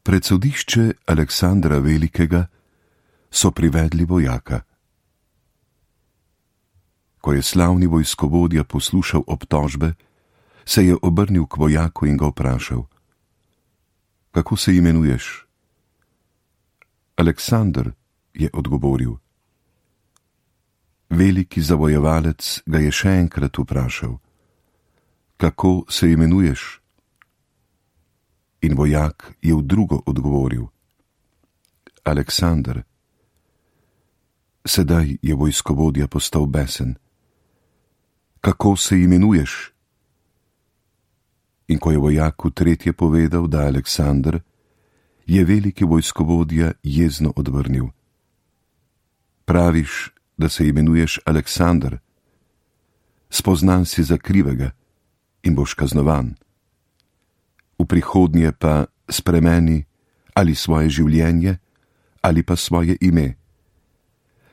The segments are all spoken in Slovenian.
Pred sodišče Aleksandra Velikega so privedli vojaka. Ko je slavni vojskovodja poslušal obtožbe, se je obrnil k vojaku in ga vprašal: Kako se imenuješ? Aleksander, je odgovoril. Veliki zavojevalec ga je še enkrat vprašal: Kako se imenuješ? In vojak je v drugo odgovoril: Aleksander. Sedaj je vojskovodja postal besen. Kako se imenuješ? In ko je vojaku tretje povedal, da Aleksander, je veliki vojskovodja jezno odvrnil: Praviš, da se imenuješ Aleksander, spoznan si za krivega in boš kaznovan. V prihodnje pa spremeni ali svoje življenje ali pa svoje ime,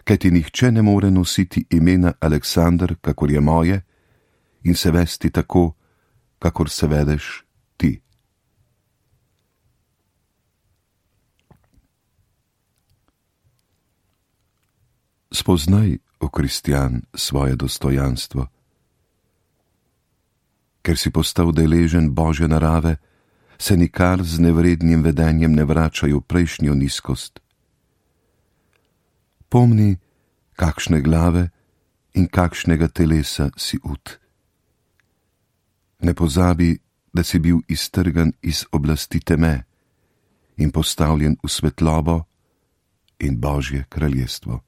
kajti nihče ne more nositi imena Aleksander, kakor je moje, in se vesti tako, kakor se vedeš ti. Spoznaj, o kristjan, svoje dostojanstvo. Ker si postal deležen Božje narave, se nikar z nevrednim vedenjem ne vračaj v prejšnjo nizkost. Pomni, kakšne glave in kakšnega telesa si ud. Ne pozabi, da si bil iztrgan iz oblasti teme in postavljen v svetlobo in Božje kraljestvo.